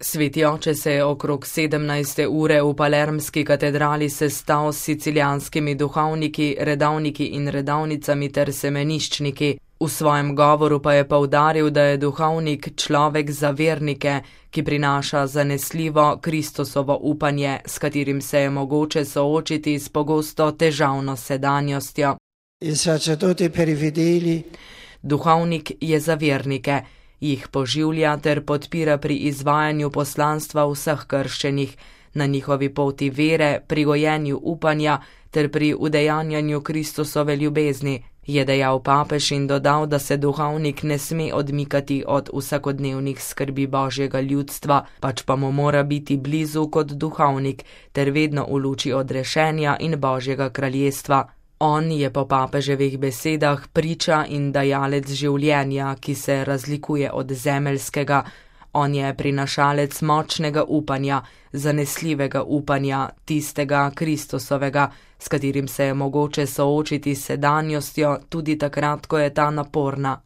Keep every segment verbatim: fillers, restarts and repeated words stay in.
Sveti oče se je okrog sedemnajste ure v palermski katedrali sestal s sicilijanskimi duhovniki, redavniki in redavnicami ter semeniščniki. V svojem govoru pa je poudaril, da je duhovnik človek za vernike, ki prinaša zanesljivo Kristusovo upanje, s katerim se je mogoče soočiti s pogosto težavno sedanjostjo. Duhovnik je za vernike, jih poživlja ter podpira pri izvajanju poslanstva vseh krščenih, na njihovi poti vere, pri gojenju upanja ter pri udejanjanju Kristusove ljubezni, je dejal papež in dodal, da se duhovnik ne sme odmikati od vsakodnevnih skrbi Božjega ljudstva, pač pa mu mora biti blizu kot duhovnik ter vedno v luči odrešenja in Božjega kraljestva. On je po papeževih besedah priča in dajalec življenja, ki se razlikuje od zemeljskega. On je prinašalec močnega upanja, zanesljivega upanja, tistega Kristusovega, s katerim se je mogoče soočiti s sedanjostjo tudi takrat, ko je ta naporna.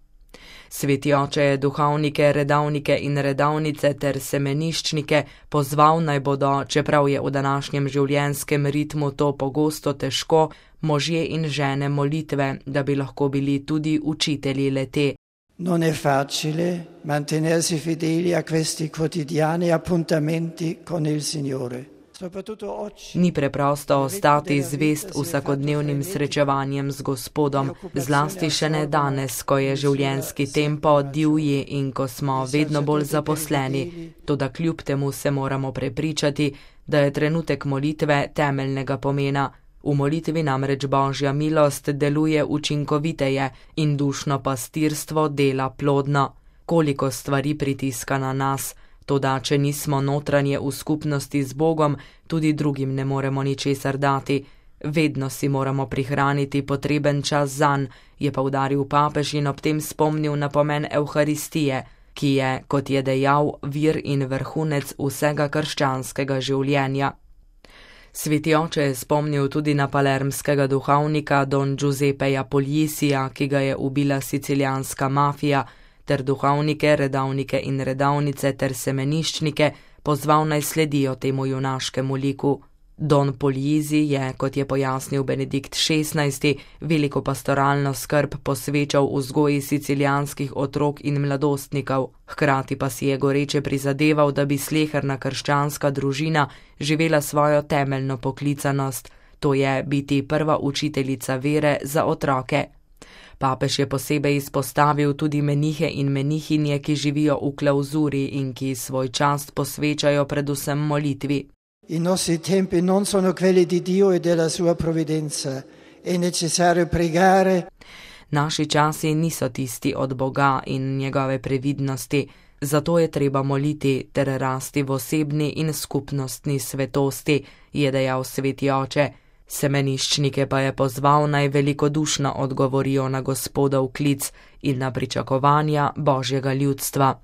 Sveti oče je duhovnike, redavnike in redavnice ter semeniščnike pozval naj bodo, čeprav je v današnjem življenjskem ritmu to pogosto težko, možje in žene molitve, da bi lahko bili tudi učitelji le-te. Non è facile mantenersi fedeli a questi quotidiani appuntamenti con il Signore. Ni preprosto ostati zvest vsakodnevnim srečevanjem z Gospodom, zlasti še ne danes, ko je življenjski tempo divji in ko smo vedno bolj zaposleni, toda kljub temu se moramo prepričati, da je trenutek molitve temeljnega pomena. V molitvi namreč Božja milost deluje učinkoviteje in dušno pastirstvo dela plodno. Koliko stvari pritiska na nas, toda če nismo notranje v skupnosti z Bogom, tudi drugim ne moremo ničesar dati. Vedno si moramo prihraniti potreben čas zanj, je poudaril papež in ob tem spomnil na pomen Evharistije, ki je, kot je dejal, vir in vrhunec vsega krščanskega življenja. Sveti oče je spomnil tudi na palermskega duhovnika Don Giuseppeja Pugliesija, ki ga je ubila sicilijanska mafija, ter duhovnike, redavnike in redavnice ter semeniščnike pozval naj sledijo temu junaškemu liku. Don Pugliesi je, kot je pojasnil Benedikt šestnajsti, veliko pastoralno skrb posvečal vzgoji sicilijanskih otrok in mladostnikov, hkrati pa si je goreče prizadeval, da bi sleherna krščanska družina živela svojo temeljno poklicanost, to je biti prva učiteljica vere za otroke. Papež je posebej izpostavil tudi menihe in menihinje, ki živijo v klauzuri in ki svoj čas posvečajo predvsem molitvi. I nostri tempi non sono quelli di Dio e della sua provvidenza. È necessario pregare. Naši časi niso tisti od Boga in njegove previdnosti, zato je treba moliti ter rasti v osebni in skupnostni svetosti, je dejal sveti oče. Semeniščnike pa je pozval naj velikodušno odgovorijo na Gospodov klic in na pričakovanja Božjega ljudstva.